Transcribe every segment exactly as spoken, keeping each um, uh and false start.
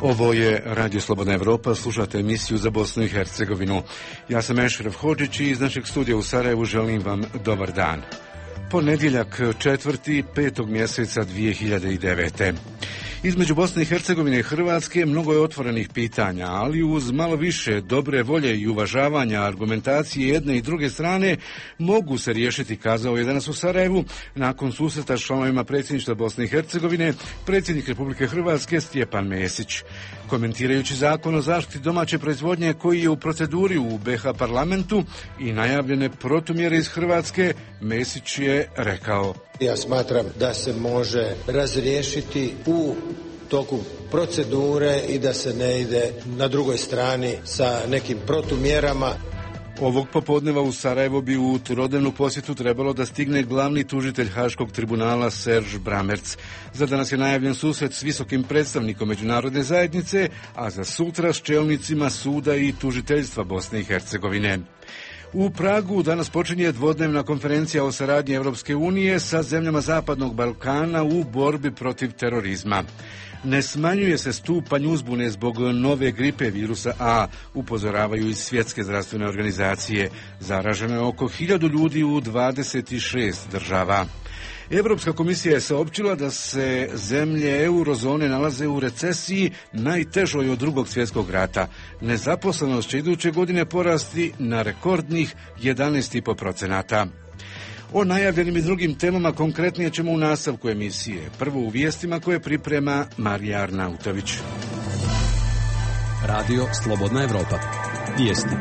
Ovo je Radio Slobodna Evropa, slušate emisiju za Bosnu i Hercegovinu. Ja sam Ešref Hodžić i iz našeg studija u Sarajevu želim vam dobar dan. Ponedjeljak četvrti petog mjeseca dvije hiljade devete. Između Bosne i Hercegovine i Hrvatske mnogo je otvorenih pitanja, ali uz malo više dobre volje i uvažavanja argumentacije jedne i druge strane mogu se riješiti, kazao je danas u Sarajevu nakon susreta s članovima predsjedništva Bosne i Hercegovine predsjednik Republike Hrvatske Stjepan Mesić. Komentirajući zakon o zaštiti domaće proizvodnje koji je u proceduri u be ha parlamentu i najavljene protumjere iz Hrvatske, Mesić je rekao: Ja smatram da se može razriješiti u toku procedure i da se ne ide na drugoj strani sa nekim protumjerama. Ovog popodneva u Sarajevo bi u trodnevnu posjetu trebalo da stigne glavni tužitelj Haškog tribunala Serge Bramertz. Za danas je najavljen susret s visokim predstavnikom međunarodne zajednice, a za sutra s čelnicima suda i tužiteljstva Bosne i Hercegovine. U Pragu danas počinje dvodnevna konferencija o saradnji Europske unije sa zemljama Zapadnog Balkana u borbi protiv terorizma. Ne smanjuje se stupanj uzbune zbog nove gripe virusa A, upozoravaju iz Svjetske zdravstvene organizacije. Zaraženo je oko hiljadu ljudi u dvadeset šest država. Europska komisija je saopćila da se zemlje eurozone nalaze u recesiji najtežoj od drugog svjetskog rata. Nezaposlenost će iduće godine porasti na rekordnih jedanaest zarez pet posto. O najavljenim i drugim temama konkretnije ćemo u nastavku emisije. Prvo u vijestima koje priprema Marija Arnautović. Radio Slobodna Evropa. Vijesti.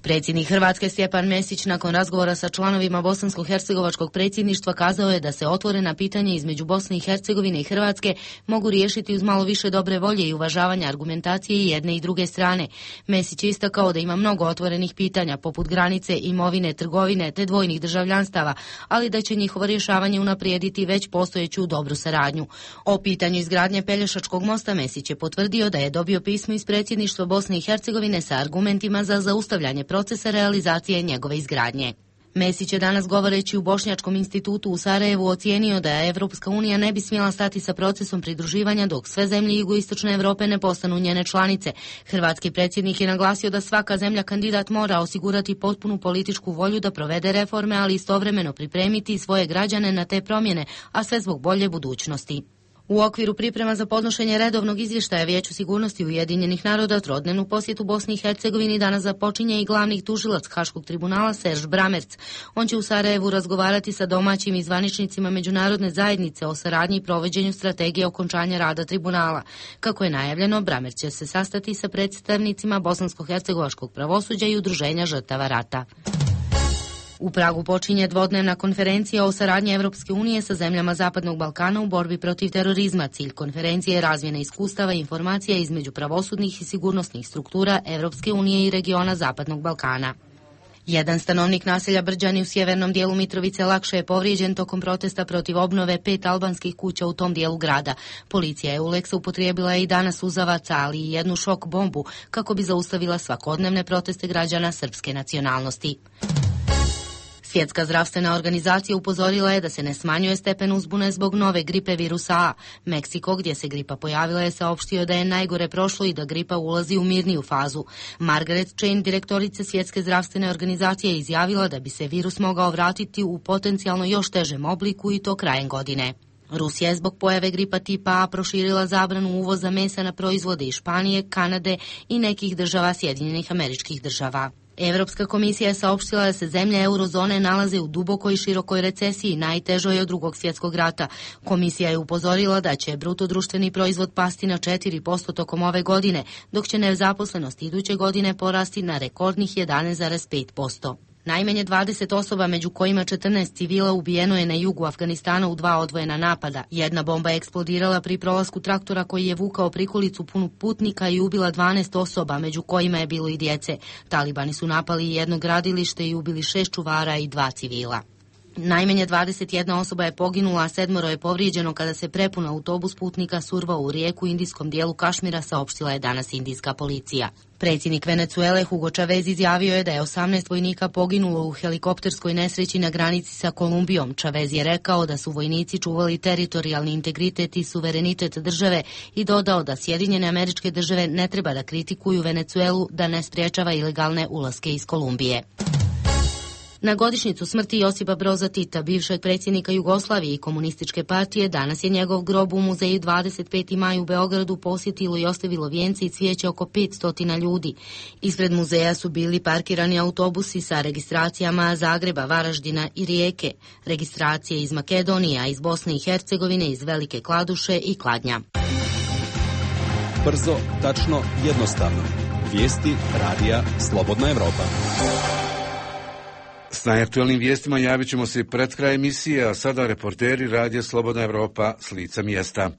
Predsjednik Hrvatske Stjepan Mesić nakon razgovora sa članovima bosansko-hercegovačkog predsjedništva kazao je da se otvorena pitanja između Bosne i Hercegovine i Hrvatske mogu riješiti uz malo više dobre volje i uvažavanja argumentacije jedne i druge strane. Mesić je istakao da ima mnogo otvorenih pitanja poput granice, imovine, trgovine te dvojnih državljanstava, ali da će njihovo rješavanje unaprijediti već postojeću dobru saradnju. O pitanju izgradnje Pelješačkog mosta Mesić je potvrdio da je dobio pismo iz predsjedništva Bosne i Hercegovine sa argumentima za zaustavljanje procesa realizacije njegove izgradnje. Mesić je danas govoreći u Bošnjačkom institutu u Sarajevu ocijenio da Evropska unija ne bi smjela stati sa procesom pridruživanja dok sve zemlje jugoistočne Europe ne postanu njene članice. Hrvatski predsjednik je naglasio da svaka zemlja kandidat mora osigurati potpunu političku volju da provede reforme, ali istovremeno pripremiti svoje građane na te promjene, a sve zbog bolje budućnosti. U okviru priprema za podnošenje redovnog izvještaja Vijeću sigurnosti Ujedinjenih naroda trodnevnu posjetu Bosni i Hercegovini danas započinje i glavni tužilac Haškog tribunala Serge Bramertz. On će u Sarajevu razgovarati sa domaćim i zvaničnicima međunarodne zajednice o saradnji i provođenju strategije okončanja rada tribunala. Kako je najavljeno, Bramertz će se sastati sa predstavnicima bosansko-hercegovačkog pravosuđa i udruženja žrtava rata. U Pragu počinje dvodnevna konferencija o saradnji Evropske unije sa zemljama Zapadnog Balkana u borbi protiv terorizma. Cilj konferencije je razmjena iskustava i informacija između pravosudnih i sigurnosnih struktura Evropske unije i regiona Zapadnog Balkana. Jedan stanovnik naselja Brđani u sjevernom dijelu Mitrovice lakše je povrijeđen tokom protesta protiv obnove pet albanskih kuća u tom dijelu grada. Policija je Euleksa upotrijebila i danas suzavaca, ali i jednu šok bombu kako bi zaustavila svakodnevne proteste građana srpske nacionalnosti. Svjetska zdravstvena organizacija upozorila je da se ne smanjuje stepen uzbune zbog nove gripe virusa A. Meksiko, gdje se gripa pojavila, je saopštio da je najgore prošlo i da gripa ulazi u mirniju fazu. Margaret Chan, direktorica Svjetske zdravstvene organizacije, je izjavila da bi se virus mogao vratiti u potencijalno još težem obliku i to krajem godine. Rusija je zbog pojave gripa tipa A proširila zabranu uvoza mesa na proizvode iz Španije, Kanade i nekih država Sjedinjenih Američkih Država. Europska komisija je saopštila da se zemlje eurozone nalaze u dubokoj i širokoj recesiji, najtežoj od drugog svjetskog rata. Komisija je upozorila da će bruto društveni proizvod pasti na četiri posto tokom ove godine, dok će nezaposlenost iduće godine porasti na rekordnih jedanaest zarez pet posto. Najmanje dvadeset osoba, među kojima četrnaest civila, ubijeno je na jugu Afganistana u dva odvojena napada. Jedna bomba je eksplodirala pri prolasku traktora koji je vukao prikolicu punu putnika i ubila dvanaest osoba, među kojima je bilo i djece. Talibani su napali jedno gradilište i ubili šest čuvara i dva civila. Najmanje dvadeset jedna osoba je poginula, a sedmoro je povrijeđeno kada se prepun autobus putnika survao u rijeku u indijskom dijelu Kašmira, saopštila je danas indijska policija. Predsjednik Venezuele Hugo Chavez izjavio je da je osamnaest vojnika poginulo u helikopterskoj nesreći na granici sa Kolumbijom. Chavez je rekao da su vojnici čuvali teritorijalni integritet i suverenitet države i dodao da Sjedinjene Američke Države ne treba da kritikuju Venezuelu da ne spriječava ilegalne ulaske iz Kolumbije. Na godišnjicu smrti Josipa Broza Tita, bivšeg predsjednika Jugoslavije i komunističke partije, danas je njegov grob u muzeju dvadeset peti maj u Beogradu posjetilo i ostavilo vijence i cvijeće oko petsto ljudi. Ispred muzeja su bili parkirani autobusi sa registracijama Zagreba, Varaždina i Rijeke, registracije iz Makedonije, a iz Bosne i Hercegovine, iz Velike Kladuše i Kladnja. Brzo, tačno, jednostavno. Vijesti radija Slobodna Evropa. S najaktualnim vijestima javit ćemo se pred kraj emisije, a sada reporteri radija Slobodna Evropa s lica mjesta.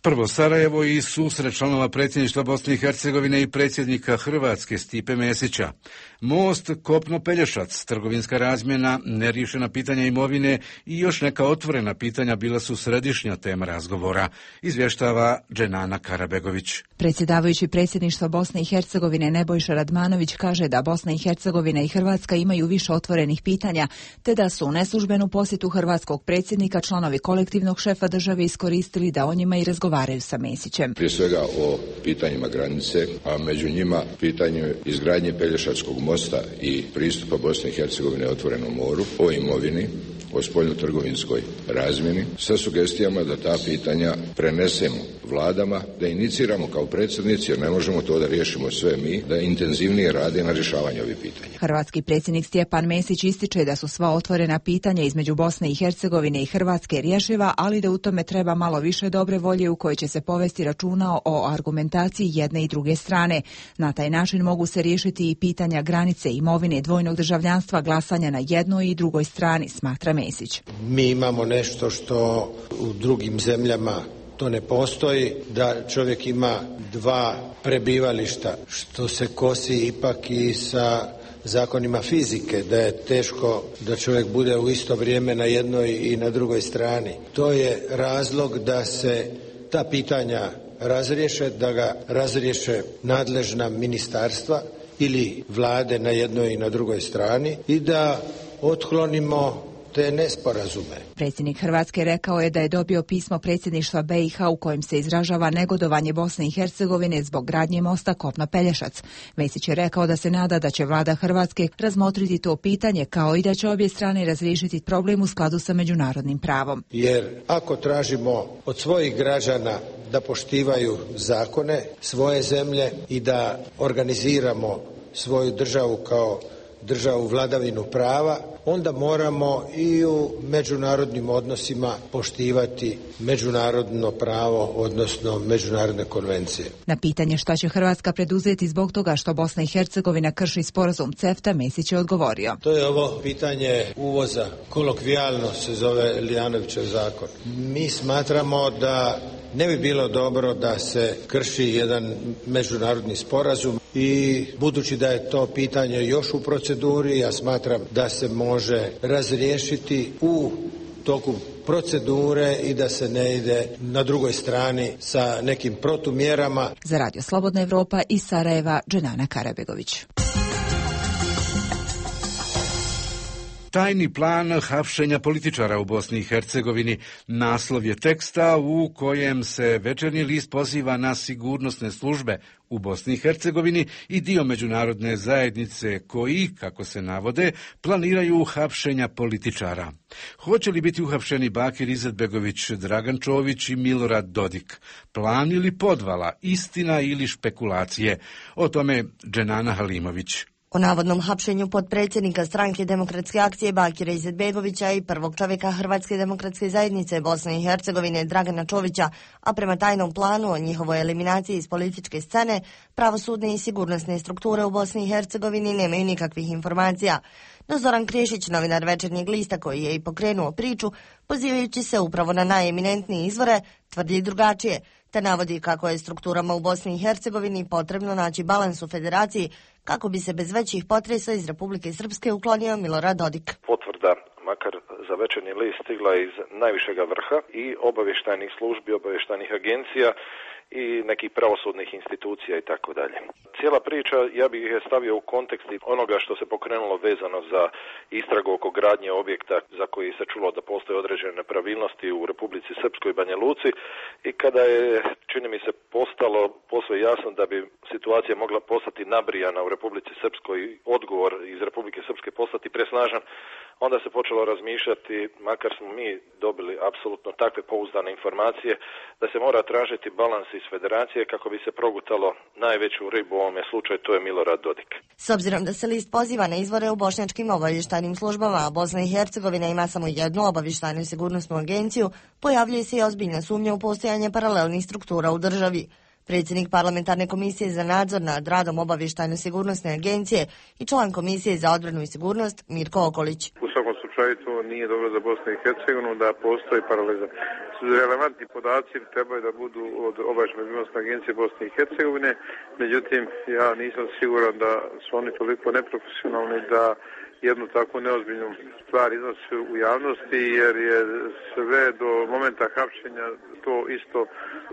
Prvo Sarajevo i susret članova predsjedništva Bosne i Hercegovine i predsjednika Hrvatske Stipe Mesića. Most Kopno-Pelješac, trgovinska razmjena, neriješena pitanja imovine i još neka otvorena pitanja bila su središnja tema razgovora, izvještava Dženana Karabegović. Predsjedavajući predsjedništva Bosne i Hercegovine Nebojša Radmanović kaže da Bosna i Hercegovina i Hrvatska imaju više otvorenih pitanja, te da su u neslužbenu posjetu hrvatskog predsjednika članovi kolektivnog šefa države iskoristili da o njima i razgovaraju sa Mesićem. Prije svega o pitanjima granice, a među njima pitanju izgradnje Pelješačkog mosta i pristupa Bosne i Hercegovine otvorenom moru, o imovini, o spoljnotrgovinskoj razmjeni, sa sugestijama da ta pitanja prenesemo vladama, da iniciramo kao predsjednici, jer ne možemo to da riješimo sve mi, da intenzivnije rade na rješavanju ovih pitanja. Hrvatski predsjednik Stjepan Mesić ističe da su sva otvorena pitanja između Bosne i Hercegovine i Hrvatske rješiva, ali da u tome treba malo više dobre volje u kojoj će se povesti računa o argumentaciji jedne i druge strane. Na taj način mogu se riješiti i pitanja granice, imovine, dvojnog državljanstva, glasanja na jednoj i drugoj strani, smatra Mesić. Mi imamo nešto što u drugim zemljama to ne postoji, da čovjek ima dva prebivališta, što se kosi ipak i sa zakonima fizike, da je teško da čovjek bude u isto vrijeme na jednoj i na drugoj strani. To je razlog da se ta pitanja razriješe, da ga razriješe nadležna ministarstva ili vlade na jednoj i na drugoj strani i da otklonimo te nesporazume. Predsjednik Hrvatske rekao je da je dobio pismo predsjedništva be i ha u kojem se izražava negodovanje Bosne i Hercegovine zbog gradnje mosta Kopno-Pelješac. Mesić je rekao da se nada da će vlada Hrvatske razmotriti to pitanje, kao i da će obje strane razriješiti problem u skladu sa međunarodnim pravom. Jer ako tražimo od svojih građana da poštivaju zakone svoje zemlje i da organiziramo svoju državu kao državu vladavinu prava, onda moramo i u međunarodnim odnosima poštivati međunarodno pravo, odnosno međunarodne konvencije. Na pitanje šta će Hrvatska preduzeti zbog toga što Bosna i Hercegovina krši sporazum CEFTA, Mesić je odgovorio. To je ovo pitanje uvoza, kolokvijalno se zove Lijanovićev zakon. Mi smatramo da ne bi bilo dobro da se krši jedan međunarodni sporazum i budući da je to pitanje još u proceduri, ja smatram da se može razriješiti u toku procedure i da se ne ide na drugoj strani sa nekim protumjerama. Za Radio Slobodna Evropa iz Sarajeva, Dženana Karabegović. Tajni plan hapšenja političara u Bosni i Hercegovini. Naslov je teksta u kojem se Večernji list poziva na sigurnosne službe u Bosni i Hercegovini i dio međunarodne zajednice koji, kako se navode, planiraju hapšenja političara. Hoće li biti uhapšeni Bakir Izetbegović, Dragan Čović i Milorad Dodik? Plan ili podvala, istina ili špekulacije? O tome Dženana Halimović. O navodnom hapšenju potpredsjednika stranke Demokratske akcije Bakira Izetbegovića i prvog čovjeka Hrvatske demokratske zajednice Bosne i Hercegovine Dragana Čovića, a prema tajnom planu o njihovoj eliminaciji iz političke scene, pravosudne i sigurnosne strukture u Bosni i Hercegovini nemaju nikakvih informacija. No Zoran Krešić, novinar Večernjeg lista koji je i pokrenuo priču, pozivajući se upravo na najeminentnije izvore, tvrdi drugačije, te navodi kako je strukturama u Bosni i Hercegovini potrebno naći balans u federaciji kako bi se bez većih potresa iz Republike Srpske uklonio Milorad Dodik. Potvrda makar za Večernji list stigla iz najvišega vrha i obavještajnih službi, obavještajnih agencija i nekih pravosudnih institucija i tako dalje. Cijela priča, ja bih je stavio u kontekst onoga što se pokrenulo vezano za istragu oko gradnje objekta za koji se čulo da postoje određene nepravilnosti u Republici Srpskoj i Banja Luci i kada je, čini mi se, postalo posve jasno da bi situacija mogla postati nabrijana u Republici Srpskoj, odgovor iz Republike Srpske postati presnažan, onda se počelo razmišljati, makar smo mi dobili apsolutno takve pouzdane informacije, da se mora tražiti balans iz federacije kako bi se progutalo najveću ribu u ovome slučaju, to je Milorad Dodik. S obzirom da se list poziva na izvore u bošnjačkim obavještajnim službama, a Bosna i Hercegovina ima samo jednu obavještajnu i sigurnosnu agenciju, pojavljuje se i ozbiljna sumnja u postojanje paralelnih struktura u državi. Predsjednik parlamentarne komisije za nadzor nad radom obavještajno-sigurnosne agencije i član komisije za odbranu i sigurnost Mirko Okolić. U svakom slučaju to nije dobro za Bosnu i Hercegovinu da postoji paralelizam. Relevantni podaci trebaju da budu od obavještajno-sigurnosne agencije Bosne i Hercegovine, međutim ja nisam siguran da su oni toliko neprofesionalni da jednu takvu neozbiljnu stvar iznosi u javnosti, jer je sve do momenta hapšenja to isto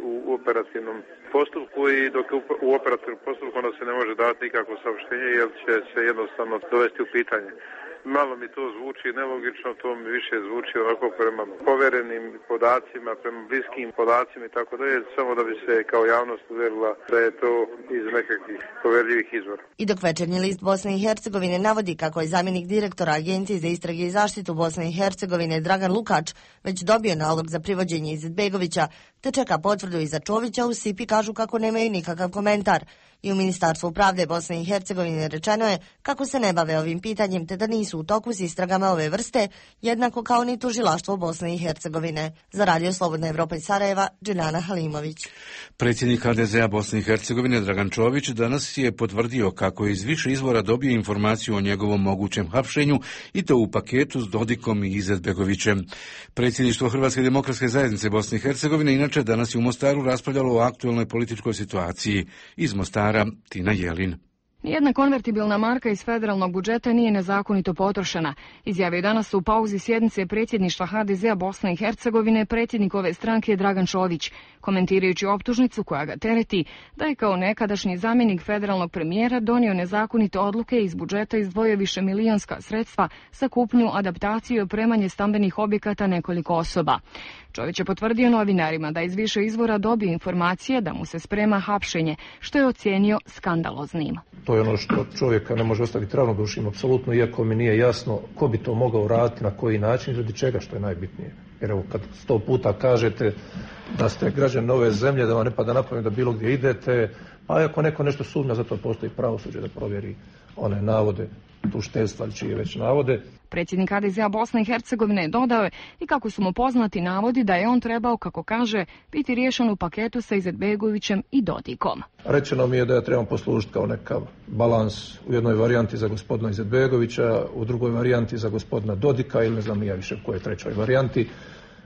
u operativnom postupku i dok u operativnom postupku onda se ne može dati nikakvo saopštenje jer će se jednostavno dovesti u pitanje. Malo mi to zvuči nelogično, to mi više zvuči ovako prema poverenim podacima, prema bliskim podacima i tako dalje, samo da bi se kao javnost uvjerila da je to iz nekakvih poverljivih izvora. I dok Večernji list Bosne i Hercegovine navodi kako je zamjenik direktora Agencije za istrage i zaštitu Bosne i Hercegovine Dragan Lukač već dobio nalog za privođenje Izetbegovića, te čeka potvrdu iza Čovića, u Sipi kažu kako nemaju nikakav komentar. I u Ministarstvu pravde Bosne i Hercegovine rečeno je kako se ne bave ovim pitanjem te da nisu u toku s istragama ove vrste, jednako kao ni tužilaštvo Bosne i Hercegovine. Za Radio Slobodna Evropa iz Sarajeva, Džiljana Halimović. Predsjednik ha de zea Bosne i Hercegovine Dragan Čović danas je potvrdio kako je iz više izvora dobio informaciju o njegovom mogućem hapšenju i to u paketu s Dodikom i Izetbegovićem. Predsjedništvo Hrvatske demokratske zajednice Bosne i Hercegovine inače danas je u Mostaru raspravljalo o aktualnoj političkoj situaciji. Iz Mostara Tina Jelin. Nijedna konvertibilna marka iz federalnog budžeta nije nezakonito potrošena, izjavio je danas u pauzi sjednice predsjedništva ha de zea Bosne i Hercegovine predsjednik ove stranke Dragan Čović, komentirajući optužnicu koja ga tereti da je kao nekadašnji zamjenik federalnog premijera donio nezakonite odluke iz budžeta izdvojio više milionska sredstva za kupnju, adaptaciju i opremanje stambenih objekata nekoliko osoba. Čović je potvrdio novinarima da iz više izvora dobio informacije da mu se sprema hapšenje, što je ocijenio skandaloznim. To je ono što čovjeka ne može ostaviti ravnodušnim, apsolutno, iako mi nije jasno ko bi to mogao raditi, na koji način, radi čega, što je najbitnije. Jer evo, kad sto puta kažete da ste građani ove zemlje, da vam ne pada na pamet da bilo gdje idete, a ako neko nešto sumnja, zato postoji pravosuđe da provjeri one navode tužiteljstva ili čije već navode. Predsjednik ha de zea Bosne i Hercegovine dodao je i kako su mu poznati navodi da je on trebao, kako kaže, biti riješen u paketu sa Izetbegovićem i Dodikom. Rečeno mi je da ja trebam poslužiti kao nekav balans u jednoj varijanti za gospodina Izetbegovića, u drugoj varijanti za gospodina Dodika ili ne znam ja više u kojoj trećoj varijanti.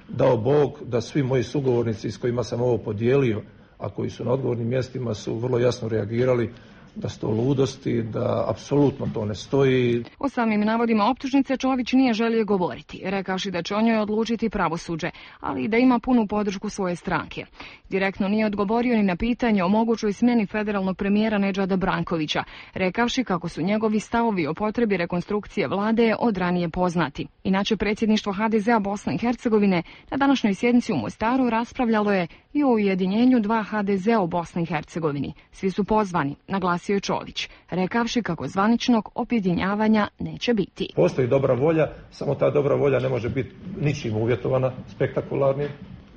Dao Bog da svi moji sugovornici s kojima sam ovo podijelio, a koji su na odgovornim mjestima, su vrlo jasno reagirali da su to ludosti, da apsolutno to ne stoji. O samim navodima optužnice Čović nije želio govoriti, rekavši da će o njoj odlučiti pravosuđe, ali i da ima punu podršku svoje stranke. Direktno nije odgovorio ni na pitanje o mogućoj smjeni federalnog premijera Nedžada Brankovića, rekavši kako su njegovi stavovi o potrebi rekonstrukcije vlade od ranije poznati. Inače, predsjedništvo ha de zea Bosne i Hercegovine na današnjoj sjednici u Mostaru raspravljalo je i o ujedinjenju dva ha de zea u Bosni i Hercegovini. Svi su pozvani, naglasio je Čović, rekavši kako zvaničnog objedinjavanja neće biti. Postoji dobra volja, samo ta dobra volja ne može biti ničim uvjetovana, spektakularnim.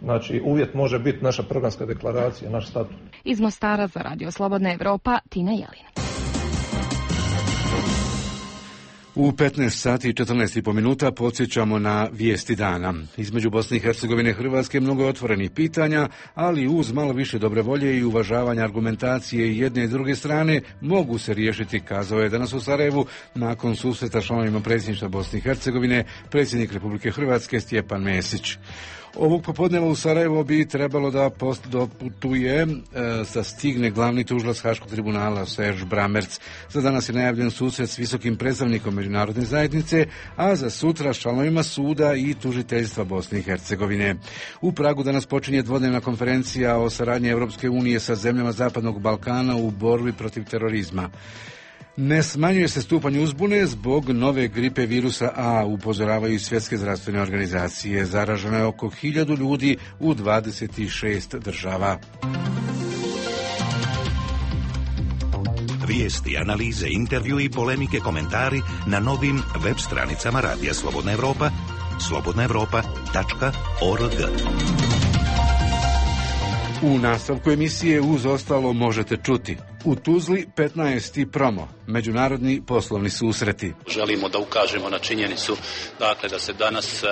Znači, uvjet može biti naša programska deklaracija, naš statut. Iz Mostara za Radio Slobodna Evropa, Tina Jelin. U petnaest sati i četrnaest i po minuta podsjećamo na vijesti dana. Između Bosne i Hercegovine i Hrvatske mnogo je otvorenih pitanja, ali uz malo više dobre volje i uvažavanja argumentacije jedne i druge strane mogu se riješiti, kazao je danas u Sarajevu nakon susreta članovima predsjedništva Bosne i Hercegovine predsjednik Republike Hrvatske Stjepan Mesić. Ovog popodneva u Sarajevo bi trebalo da post doputuje, da stigne glavni tužilac Haškog tribunala Serž Bramerc. Za danas je najavljen susret s visokim predstavnikom međunarodne zajednice, a za sutra s članovima suda i tužiteljstva Bosne i Hercegovine. U Pragu danas počinje dvodnevna konferencija o saradnji Europske unije sa zemljama Zapadnog Balkana u borbi protiv terorizma. Ne smanjuje se stupanj uzbune zbog nove gripe virusa A, upozoravaju i svjetske zdravstvene organizacije. Zaraženo je oko hiljadu ljudi u dvadeset šest država. Vijesti, analize, intervju i polemike, komentari na novim web stranicama Radija Slobodna Evropa, slobodna evropa tačka org. U nastavku emisije uz ostalo možete čuti: u Tuzli petnaesti promo, međunarodni poslovni susreti. Želimo da ukažemo na činjenicu, dakle, da se danas e,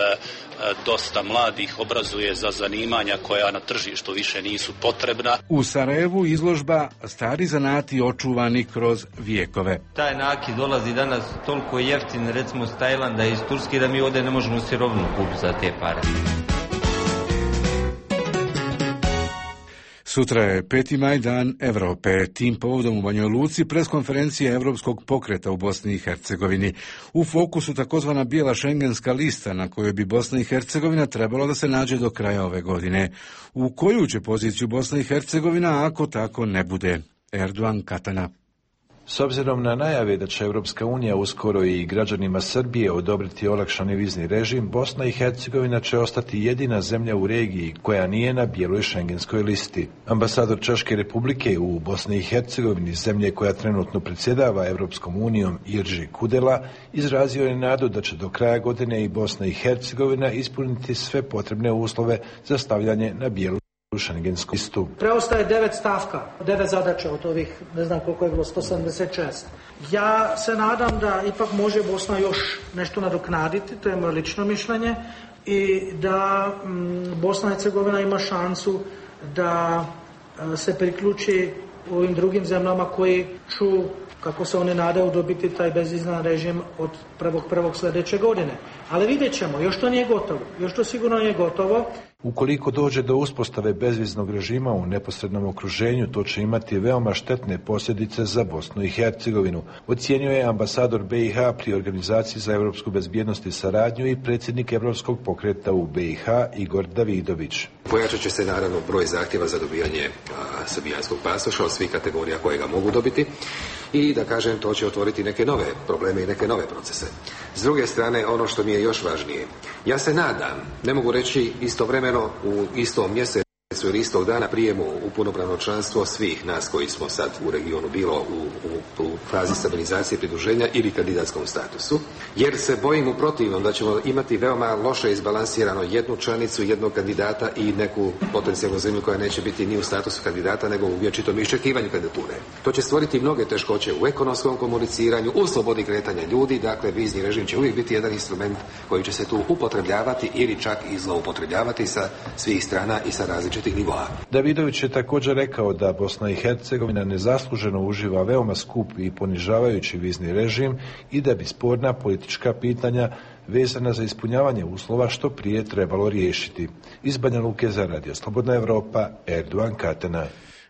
dosta mladih obrazuje za zanimanja koja na tržištu više nisu potrebna. U Sarajevu izložba Stari zanati očuvani kroz vijekove. Taj nakit dolazi danas toliko jeftin, recimo iz Tajlanda i iz Turske, da mi ovdje ne možemo sirovinu kupiti za te pare. Sutra je peti maj, dan Evrope. Tim povodom u Banjoj Luci preskonferencija Evropskog pokreta u Bosni i Hercegovini. U fokusu takozvana bijela šengenska lista na kojoj bi Bosna i Hercegovina trebalo da se nađe do kraja ove godine. U koju će poziciju Bosna i Hercegovina ako tako ne bude? Erdogan Katana. S obzirom na najave da će Europska unija uskoro i građanima Srbije odobriti olakšani vizni režim, Bosna i Hercegovina će ostati jedina zemlja u regiji koja nije na bijeloj šengenskoj listi. Ambasador Češke Republike u Bosni i Hercegovini, zemlje koja trenutno predsjedava Europskom unijom, Irži Kudela, izrazio je nadu da će do kraja godine i Bosna i Hercegovina ispuniti sve potrebne uslove za stavljanje na bijelu šengensku listu. Preostaje devet stavka, devet zadaća od ovih, ne znam koliko je bilo, sto sedamdeset šest. Ja se nadam da ipak može Bosna još nešto nadoknaditi, to je moje lično mišljenje, i da m, Bosna i Hercegovina ima šansu da a, se priključi ovim drugim zemljama koji ću, kako se oni nadaju, dobiti taj bezvizan režim od prvog prvog sljedeće godine. Ali vidjet ćemo, još to nije gotovo, još to sigurno nije gotovo. Ukoliko dođe do uspostave bezviznog režima u neposrednom okruženju, to će imati veoma štetne posljedice za Bosnu i Hercegovinu, ocijenio je ambasador B i H pri Organizaciji za europsku bezbjednost i saradnju i predsjednik Europskog pokreta u B i H Igor Davidović. Pojačat će se naravno broj zahtjeva za dobijanje a, srbijanskog pasoša od svih kategorija koje ga mogu dobiti i, da kažem, to će otvoriti neke nove probleme i neke nove procese. S druge strane, ono što mi je još važnije, ja se nadam, ne mogu reći istovremeno u istom mjesecu ili istog dana prijemu u punopravno članstvo svih nas koji smo sad u regionu, bilo u, u, u fazi stabilizacije, pridruženja ili kandidatskom statusu, jer se bojim u protivnom da ćemo imati veoma loše izbalansirano jednu članicu, jednog kandidata i neku potencijalnu zemlju koja neće biti ni u statusu kandidata nego u vječitom iščekivanju kandidature. To će stvoriti mnoge teškoće u ekonomskom komuniciranju, u slobodi kretanja ljudi, dakle vizni režim će uvijek biti jedan instrument koji će se tu upotrebljavati ili čak i zloupotrebljavati sa svih strana i sa različitih nivoa. Davidović je također rekao da Bosna i Hercegovina nezasluženo uživa veoma skup i ponižavajući vizni režim i da bi sporna politička pitanja vezana za ispunjavanje uslova što prije trebalo riješiti. Iz Banja Luke za Radio Slobodna Evropa, Erdogan Katana.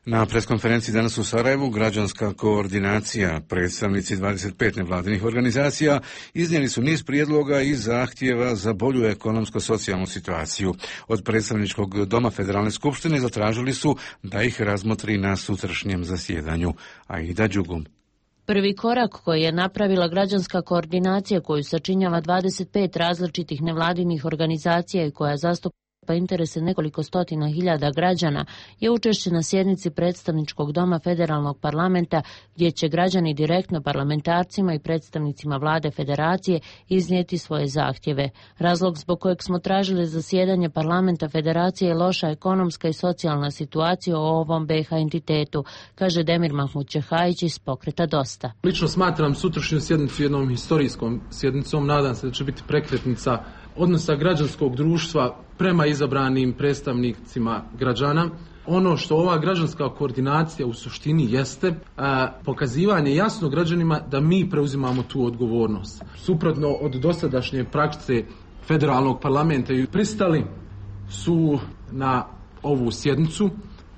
Na preskonferenciji danas u Sarajevu građanska koordinacija, predstavnici dvadeset pet nevladinih organizacija iznijeli su niz prijedloga i zahtjeva za bolju ekonomsko-socijalnu situaciju. Od predstavničkog doma Federalne skupštine zatražili su da ih razmotri na sutrašnjem zasjedanju. Aida Đugum. Prvi korak koji je napravila građanska koordinacija koju sačinjava dvadeset pet različitih nevladinih organizacija i koja zastupa pa interese nekoliko stotina hiljada građana je učešće na sjednici predstavničkog doma Federalnog parlamenta gdje će građani direktno parlamentarcima i predstavnicima vlade federacije iznijeti svoje zahtjeve. Razlog zbog kojeg smo tražili zasjedanje parlamenta federacije je loša ekonomska i socijalna situacija u ovom B i H entitetu, kaže Demir Mahmud Čehajić iz pokreta Dosta. Lično smatram sutrašnju sjednicu jednom historijskom sjednicom, nadam se da će biti prekretnica odnosa građanskog društva prema izabranim predstavnicima građana. Ono što ova građanska koordinacija u suštini jeste a, pokazivanje jasno građanima da mi preuzimamo tu odgovornost. Suprotno od dosadašnje prakse federalnog parlamenta i pristali su na ovu sjednicu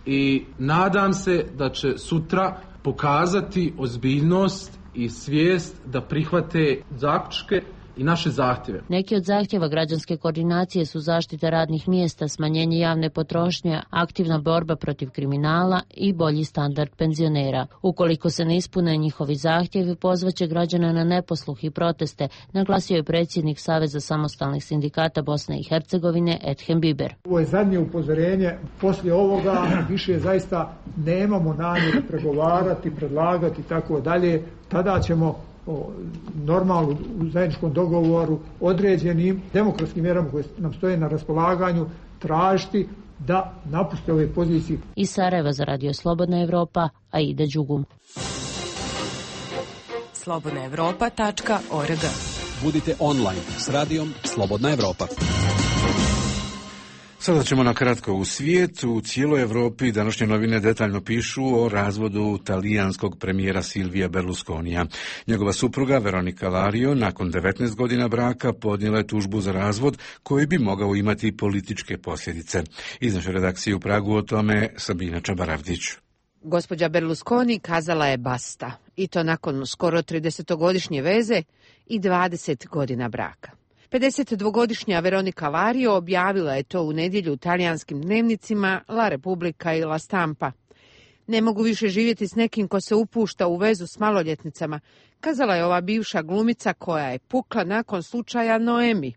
i nadam se da će sutra pokazati ozbiljnost i svijest da prihvate zaključke i naše zahtjeve. Neki od zahtjeva građanske koordinacije su zaštita radnih mjesta, smanjenje javne potrošnje, aktivna borba protiv kriminala i bolji standard penzionera. Ukoliko se ne ispune njihovi zahtjevi, pozvaće građana na neposluh i proteste, naglasio je predsjednik Saveza samostalnih sindikata Bosne i Hercegovine Edhem Biber. Ovo je zadnje upozorenje. Poslije ovoga više zaista nemamo namjeru pregovarati, predlagati i tako dalje. Tada ćemo normalno u zajedničkom dogovoru određenim demokratskim mjerama koje nam stoje na raspolaganju tražiti da napuste ove pozicije. Iz Sarajeva za Radio Slobodna Evropa, Aida Đugum. slobodna evropa tačka org. Budite online s radijom Slobodna Evropa. Sada ćemo na kratko u svijet. U cijeloj Europi današnje novine detaljno pišu o razvodu talijanskog premijera Silvija Berlusconija. Njegova supruga Veronika Lario nakon devetnaest godina braka podnijela je tužbu za razvod koji bi mogao imati političke posljedice. Iz naše redakcije u Pragu o tome Sabina Čabaravdić. Gospođa Berlusconi kazala je basta, i to nakon skoro tridesetogodišnje veze i dvadeset godina braka. pedesetdvogodišnja Veronika Lario objavila je to u nedjelju u talijanskim dnevnicima La Repubblica i La Stampa. Ne mogu više živjeti s nekim ko se upušta u vezu s maloljetnicama, kazala je ova bivša glumica koja je pukla nakon slučaja Noemi.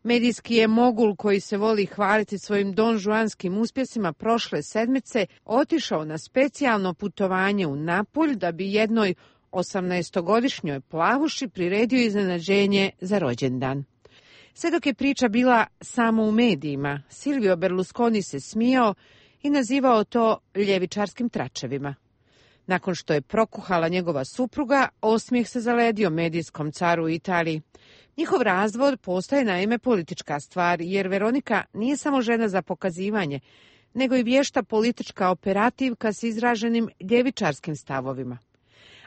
Medijski je mogul koji se voli hvaliti svojim donžuanskim uspjesima prošle sedmice otišao na specijalno putovanje u Napulj da bi jednoj osamnaestogodišnjoj plavuši priredio iznenađenje za rođendan. Sve dok je priča bila samo u medijima, Silvio Berlusconi se smijao i nazivao to ljevičarskim tračevima. Nakon što je prokuhala njegova supruga, osmijeh se zaledio medijskom caru u Italiji. Njihov razvod postaje naime politička stvar, jer Veronika nije samo žena za pokazivanje, nego i vješta politička operativka s izraženim ljevičarskim stavovima.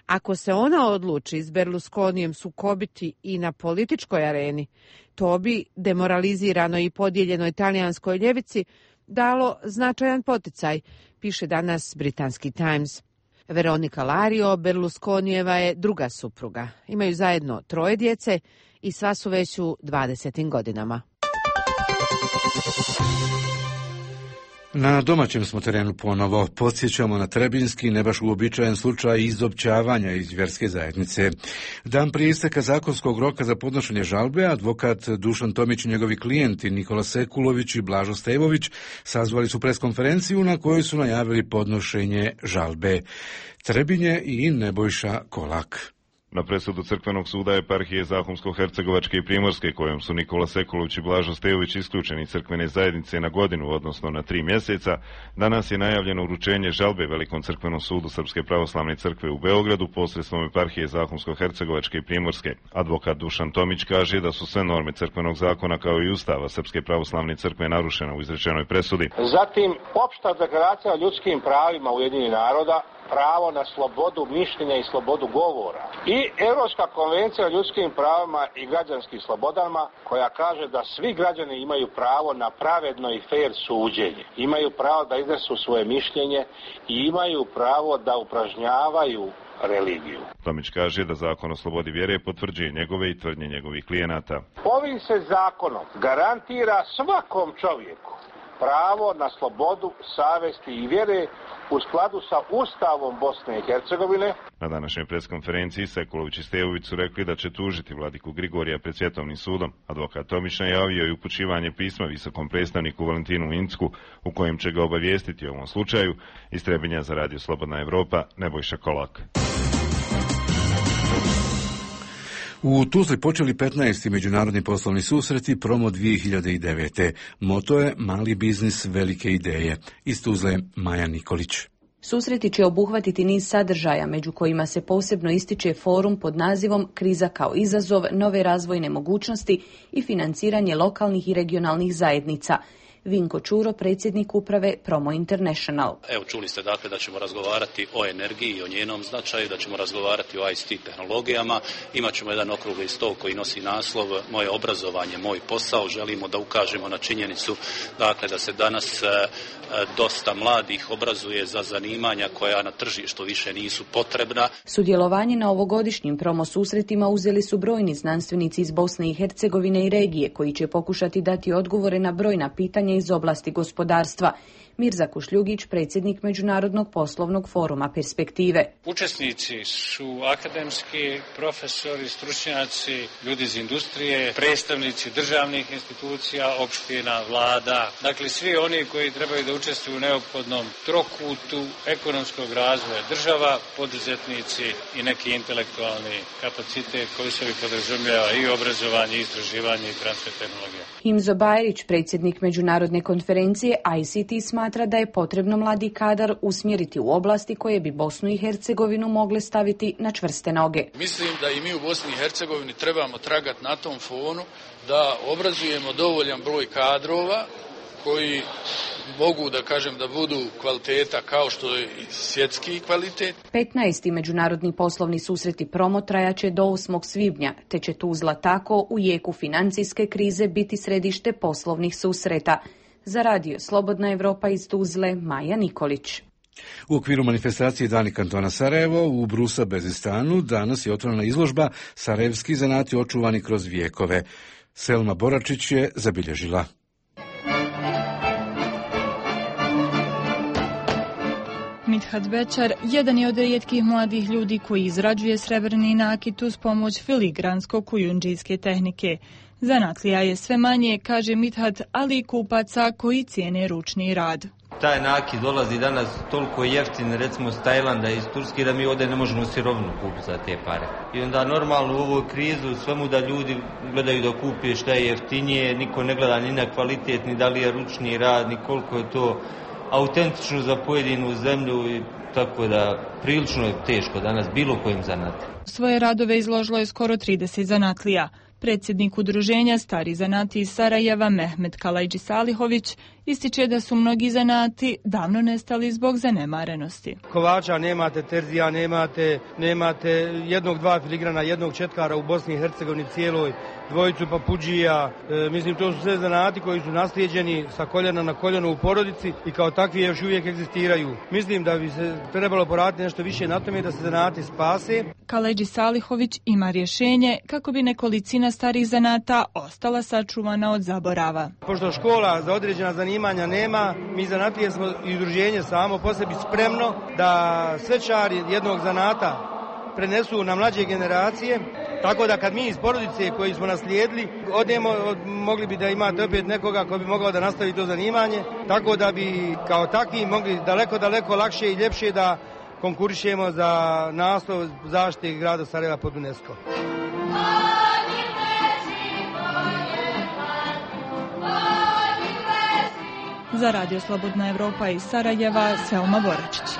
Ako se ona odluči s Berlusconijem sukobiti i na političkoj areni, to bi demoraliziranoj i podijeljenoj talijanskoj ljevici dalo značajan poticaj, piše danas britanski Times. Veronika Lario Berlusconijeva je druga supruga. Imaju zajedno troje djece i sva su već u dvadesetim godinama. Na domaćem smo terenu ponovo. Podsjećamo na trebinski, ne baš uobičajen slučaj izopćavanja iz vjerske zajednice. Dan prije isteka zakonskog roka za podnošenje žalbe, advokat Dušan Tomić i njegovi klijenti Nikola Sekulović i Blažo Stevović sazvali su preskonferenciju na kojoj su najavili podnošenje žalbe. Trebinje i Nebojša Kolak. Na presudu Crkvenog suda eparhije Zahumsko-Hercegovačke i Primorske, kojom su Nikola Sekulović i Blažo Stejović isključeni crkvene zajednice na godinu, odnosno na tri mjeseca, danas je najavljeno uručenje žalbe Velikom crkvenom sudu Srpske pravoslavne crkve u Beogradu posredstvom eparhije Zahumsko-Hercegovačke i Primorske. Advokat Dušan Tomić kaže da su sve norme crkvenog zakona kao i ustava Srpske pravoslavne crkve narušena u izrečenoj presudi. Zatim, opšta deklaracija o ljudskim pravima Ujedinjenih naroda, pravo na slobodu mišljenja i slobodu govora i Europska konvencija o ljudskim pravima i građanskim slobodama koja kaže da svi građani imaju pravo na pravedno i fair suđenje, imaju pravo da iznesu svoje mišljenje i imaju pravo da upražnjavaju religiju. Tomić kaže da zakon o slobodi vjere potvrđuje njegove i tvrdnje njegovih klijenata. Ovim se zakonom garantira svakom čovjeku pravo na slobodu, savjesti i vjere u skladu sa Ustavom Bosne i Hercegovine. Na današnjoj preskonferenciji Sekulović i Stejović su rekli da će tužiti vladiku Grigorija pred Svjetovnim sudom. Advokat Tomić najavio i upućivanje pisma visokom predstavniku Valentinu Incku u kojem će ga obavijestiti o ovom slučaju. Iz Trebinja za Radio Slobodna Evropa, Nebojša Kolak. U Tuzli počeli petnaesti međunarodni poslovni susreti Promo dvije hiljade devete. Moto je Mali biznis, velike ideje. Iz Tuzle Maja Nikolić. Susreti će obuhvatiti niz sadržaja, među kojima se posebno ističe forum pod nazivom Kriza kao izazov, nove razvojne mogućnosti i financiranje lokalnih i regionalnih zajednica. Vinko Čuro, predsjednik uprave Promo International. Evo, čuli ste dakle da ćemo razgovarati o energiji i o njenom značaju, da ćemo razgovarati o I C T tehnologijama. Imaćemo jedan okrugli stol koji nosi naslov Moje obrazovanje, moj posao. Želimo da ukažemo na činjenicu dakle da se danas e, dosta mladih obrazuje za zanimanja koja na tržištu više nisu potrebna. Sudjelovanje na ovogodišnjim promo susretima uzeli su brojni znanstvenici iz Bosne i Hercegovine i regije koji će pokušati dati odgovore na brojna pitanja iz oblasti gospodarstva. Mirza Kušljugić, predsjednik Međunarodnog poslovnog foruma Perspektive. Učesnici su akademski, profesori, stručnjaci, ljudi iz industrije, predstavnici državnih institucija, opština, vlada. Dakle, svi oni koji trebaju da učestvuju u neophodnom trokutu ekonomskog razvoja država, poduzetnici i neki intelektualni kapacitet koji se podrazumijeva i obrazovanje, i istraživanje i transfer tehnologija. Himzo Bajrić, predsjednik Međunarodne konferencije I C T, smatra da je potrebno mladi kadar usmjeriti u oblasti koje bi Bosnu i Hercegovinu mogle staviti na čvrste noge. Mislim da i mi u Bosni i Hercegovini trebamo tragati na tom fonu da obrazujemo dovoljan broj kadrova koji mogu da kažem da budu kvaliteta kao što je i svjetski kvalitet. petnaesti međunarodni poslovni susreti Promo trajaće do osmog svibnja, te će Tuzla tako u jeku financijske krize biti središte poslovnih susreta. Za radio Slobodna Evropa iz Tuzle, Maja Nikolić. U okviru manifestacije Dani kantona Sarajevo u Brusa Bezistanu danas je otvorena izložba Sarajevski zanati očuvani kroz vijekove. Selma Boračić je zabilježila. Mithat Bećar jedan je od rijetkih mladih ljudi koji izrađuje srebrni nakit uz pomoć filigransko-kujundžijske tehnike. Zanatlija je sve manje, kaže Mithat, ali i kupaca koji cijene ručni rad. Taj nakit dolazi danas toliko jeftin, recimo s Tajlanda i iz Turske, da mi ovdje ne možemo sirovinu kupiti za te pare. I onda normalno u ovoj krizu svemu da ljudi gledaju da kupe šta je jeftinije, niko ne gleda ni na kvalitet, ni da li je ručni rad, ni koliko je to autentično za pojedinu zemlju, i tako da prilično je teško danas bilo kojim zanati. Svoje radove izložilo je skoro trideset zanatlija. Predsjednik udruženja Stari zanati iz Sarajeva, Mehmet Kalajđi Salihović, ističe da su mnogi zanati davno nestali zbog zanemarenosti. Kovača nemate, terzija nemate, nemate jednog, dva filigrana, jednog četkara u Bosni i Hercegovini cijeloj, dvojicu papuđija. E, mislim, to su sve zanati koji su naslijeđeni sa koljena na koljeno u porodici i kao takvi još uvijek egzistiraju. Mislim da bi se trebalo poraditi nešto više na tome da se zanati spase. Kalajđi Salihović ima rješenje kako bi nekolicina starih zanata ostala sačuvana od zaborava. Pošto škola za određena zanimanja nema, mi zanatlije smo i udruženje samo po sebi spremno da svečari jednog zanata prenesu na mlađe generacije, tako da kad mi iz porodice koji smo naslijedili odemo, od, mogli bi da imate opet nekoga ko bi mogao da nastavi to zanimanje, tako da bi kao takvi mogli daleko, daleko lakše i ljepše da konkurišemo za naslov zaštite grada Sarajeva pod UNESCO. Za radio Slobodna Evropa iz Sarajeva, Selma Boračić.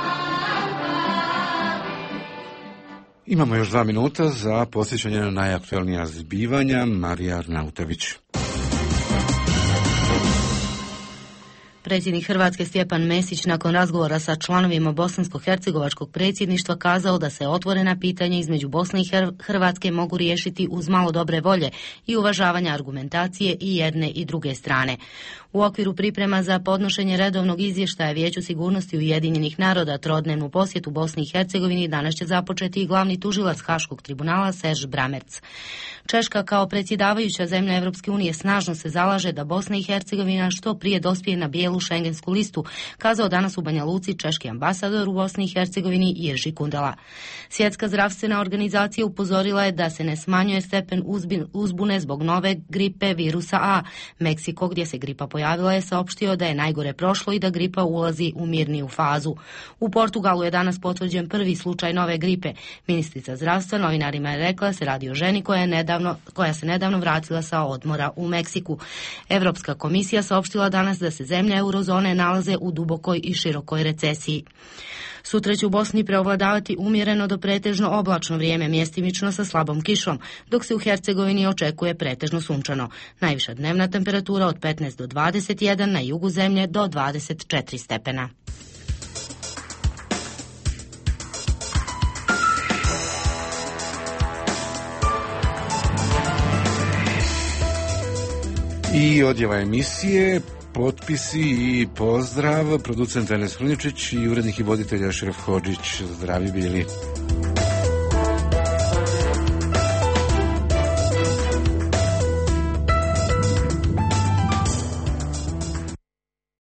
Imamo još dva minuta za posjećanje na najaktualnija zbivanja. Marija Arnautović. Predsjednik Hrvatske Stjepan Mesić nakon razgovora sa članovima bosansko-hercegovačkog predsjedništva kazao da se otvorena pitanja između Bosne i Hrvatske mogu riješiti uz malo dobre volje i uvažavanja argumentacije i jedne i druge strane. U okviru priprema za podnošenje redovnog izvještaja Vijeću sigurnosti Ujedinjenih naroda trodnevnu posjetu Bosni i Hercegovini danas će započeti i glavni tužilac Haškog tribunala Serž Bramerc. Češka kao predsjedavajuća zemlja Europske unije snažno se zalaže da Bosna i Hercegovina što prije dospije na bijelu šengensku listu, kazao danas u Banja Luci češki ambasador u Bosni i Hercegovini Jerzy Kundala. Svjetska zdravstvena organizacija upozorila je da se ne smanjuje stepen uzbune zbog nove gripe virusa A. Meksiko, gdje se gripa pojavila, je saopštio da je najgore prošlo i da gripa ulazi u mirniju fazu. U Portugalu je danas potvrđen prvi slučaj nove gripe. Ministrica zdravstva novinarima je rekla se radi o ženi koja, je nedavno, koja se nedavno vratila sa odmora u Meksiku. Europska komisija saopštila danas da se zemlja eurozone nalaze u dubokoj i širokoj recesiji. Sutra će u Bosni preovladavati umjereno do pretežno oblačno vrijeme, mjestimično sa slabom kišom, dok se u Hercegovini očekuje pretežno sunčano. Najviša dnevna temperatura od petnaest do dvadeset jedan, na jugu zemlje do dvadeset četiri stepena. I odjava emisije, potpisi i pozdrav, producent Enes Hruničić i urednik i voditelj Ašraf Hodžić. Zdravi bili.